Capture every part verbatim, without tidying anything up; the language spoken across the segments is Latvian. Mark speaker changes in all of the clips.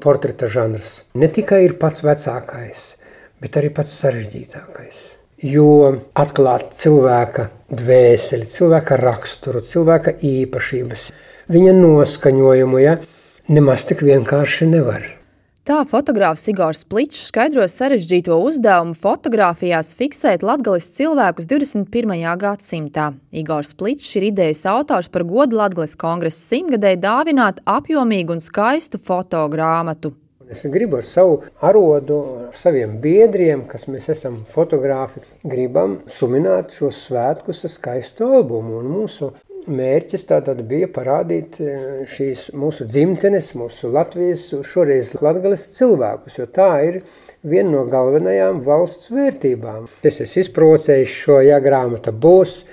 Speaker 1: Portreta žanrs ne tikai ir pats vecākais, bet arī pats sarežģītākais. Jo atklāt cilvēka dvēseli, cilvēka raksturu, cilvēka īpašības, viņa noskaņojumu, ja, nemaz tik vienkārši nevar.
Speaker 2: Tā fotogrāfs Igors Pličs skaidro sarežģīto uzdevumu fotogrāfijās fiksēt latgales cilvēkus divdesmit pirmajā gadsimtā. Igors Pličs ir idejas autors par godu Latgales kongresa simtgadēji dāvināt apjomīgu un skaistu fotogrāmatu.
Speaker 1: Es gribu ar savu arodu, ar saviem biedriem, kas mēs esam fotogrāfi, gribam sumināt šos svētkus ar skaistu albumu. Un mūsu mērķis tātad bija parādīt šīs mūsu dzimtenes, mūsu Latvijas, šoreiz Latgales cilvēkus, jo tā ir viena no galvenajām valsts vērtībām. Es esmu izprovocējis šo, ja grāmata būs,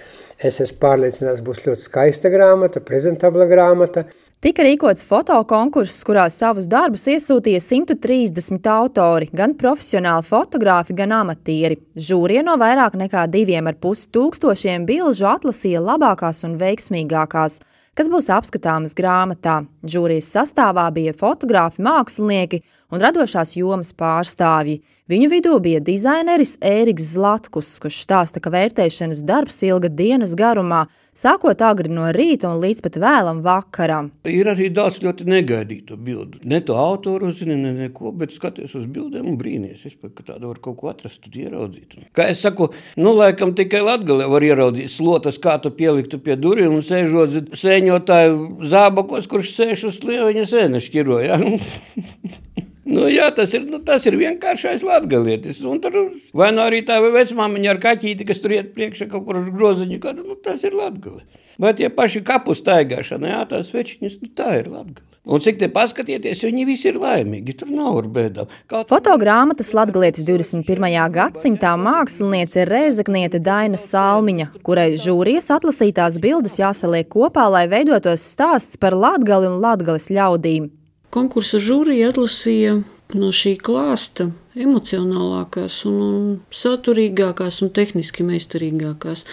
Speaker 1: es esmu pārliecināts, būs ļoti skaista grāmata, prezentabla grāmata.
Speaker 2: Tika rīkots fotokonkurss, kurā savus darbus iesūtīja simt trīsdesmit autori, gan profesionāli fotogrāfi, gan amatieri. Žūrija no vairāk nekā diviem ar pusi tūkstošiem bilžu atlasīja labākās un veiksmīgākās, kas būs apskatāmas grāmatā. Žūrijas sastāvā bija fotogrāfi, mākslinieki un radošās jomas pārstāvji. Viņu vidū bija dizaineris Ēriks Zlatkus, kurš stāsta, ka vērtēšanas darbs ilga dienas garumā, sākot agri no rīta un līdz pat vēlam vakaram.
Speaker 3: Ir arī daudz ļoti negaidītu bildu. Ne to autoru uzzini, ne neko, bet skaties uz bildēm un brīnies. Es pēc, ka tādu var kaut ko atrast, tad ieraudzīt. Kā es saku, nu laikam tikai Latgalē var ieraudzīt slotas, kā tu pieliktu pie durvīm un sēžot sēņotāju zābakos, kurš sēž uz lieviņa sēna šķiro, ja? Nu jā, tas ir, nu, tas ir vienkāršais latgalietis. Un tur vai nu arī tā vecmāmiņa ar kaķīti, kas tur iet priekšā kaut kur ar groziņu, kādu, nu tas ir Latgale. Bet tie paši kapu staigāšana, jā, tās večiņas, nu tā ir Latgale. Un cik te paskatieties, viņi visi ir laimīgi, tur nav ar bēdām. Kaut...
Speaker 2: Fotogrāmatas latgalietis divdesmit pirmajā gadsimtā māksliniece ir rēzakniete Daina Salmiņa, kurai žūrijas atlasītās bildes jāsaliek kopā, lai veidotos stāsts par Latgali un Latgales ļaudīm.
Speaker 4: Konkursa žūrija atlasīja no šī klāsta emocionālākās un, un saturīgākās un tehniski meistarīgākās.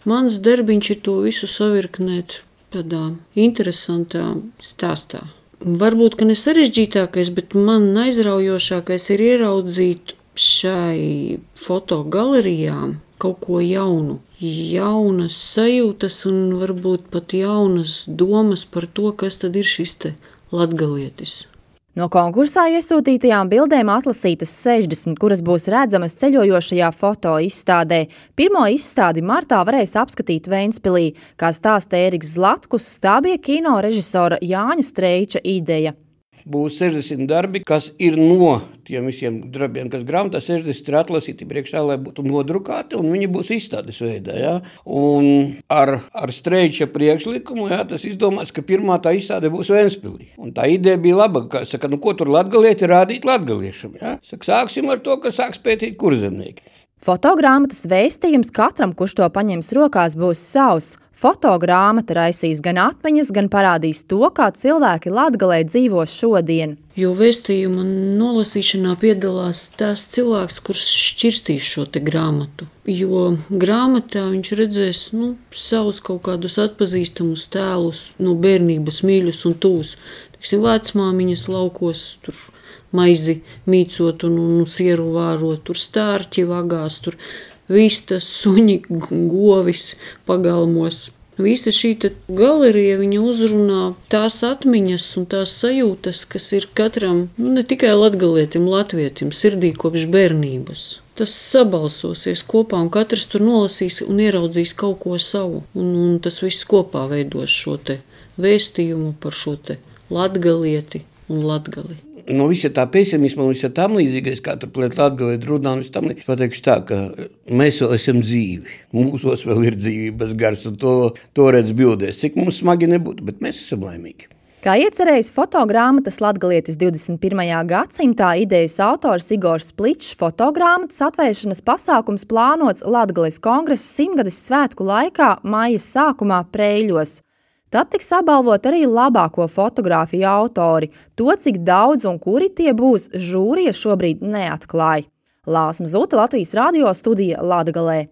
Speaker 4: Mans darbiņš ir to visu savirknēt tādā interesantā stāstā. Varbūt, ka ne sarežģītākais, bet man aizraujošākais ir ieraudzīt šai fotogalerijām kaut ko jaunu. Jaunas sajūtas un varbūt pat jaunas domas par to, kas tad ir šis te latgalietis.
Speaker 2: No konkursā iesūtītajām bildēm atlasītas sešdesmit, kuras būs redzamas ceļojošajā foto izstādē. Pirmo izstādi martā varēs apskatīt Ventspilī. Kā stāsta Ēriks Zlatkus, tā bija kino režisora Jāņa Streiča ideja.
Speaker 3: Būs sešdesmit darbi, kas ir no tiem visiem darbiem, kas grāmatā sešdesmit ir atlasīti priekšā, lai būtu nodrukāti, un viņi būs izstādes veidā. Ja? Un ar, ar Streiča priekšlikumu, ja, tas izdomāts, ka pirmā tā izstāde būs Ventspilī. Un tā ideja bija laba, ka saka, nu ko tur latgalieti rādīt latgaliešam. Ja? Saka, sāksim ar to, ka sāks pētīt kurzemnieki.
Speaker 2: Fotogrāmatas vēstījums katram, kurš to paņems rokās, būs savs. Fotogrāmata raisīs gan atmiņas, gan parādīs to, kā cilvēki Latgalē dzīvo šodien.
Speaker 4: Jo vēstījuma nolasīšanā piedalās tās cilvēks, kurš šķirstīs šo te grāmatu. Jo grāmatā viņš redzēs nu, savus kaut kādus atpazīstamus tēlus no bērnības mīļus un tūs. Teiksim, vecmāmiņas laukos, tur maizi mīcot un, un sieru vārot, tur stārķi vagās, tur vistas, suņi, govis pagalmos. Visa šī galerija viņa uzrunā tās atmiņas un tās sajūtas, kas ir katram, nu, ne tikai latgalietim, latvietim, sirdī kopš bērnības. Tas sabalsosies kopā un katrs tur nolasīs un ieraudzīs kaut ko savu. Un, un tas viss kopā veidos šo te vēstījumu par šo te latgalieti un latgali.
Speaker 3: No visa tā pesimisma un visa tam līdzīgais, kā tur pret Latgalē runā, un es tam pateikšu tā, ka mēs vēl esam dzīvi. Mūsos vēl ir dzīvības gars, un to, to redz bildēs. Cik mums smagi nebūtu, bet mēs esam laimīgi.
Speaker 2: Kā iecerējis fotogrāmatas latgalietis divdesmit pirmajā gadsimtā, idejas autors Igors Pličs, fotogrāmatas atvēršanas pasākums plānots Latgales kongresa simtgades svētku laikā maija sākumā Preiļos. Tad tiks apbalvot arī labāko fotogrāfiju autori. To, cik daudz un kuri tie būs, žūrija šobrīd neatklāja. Lāsma Zute, Latvijas radio studija Latgalē.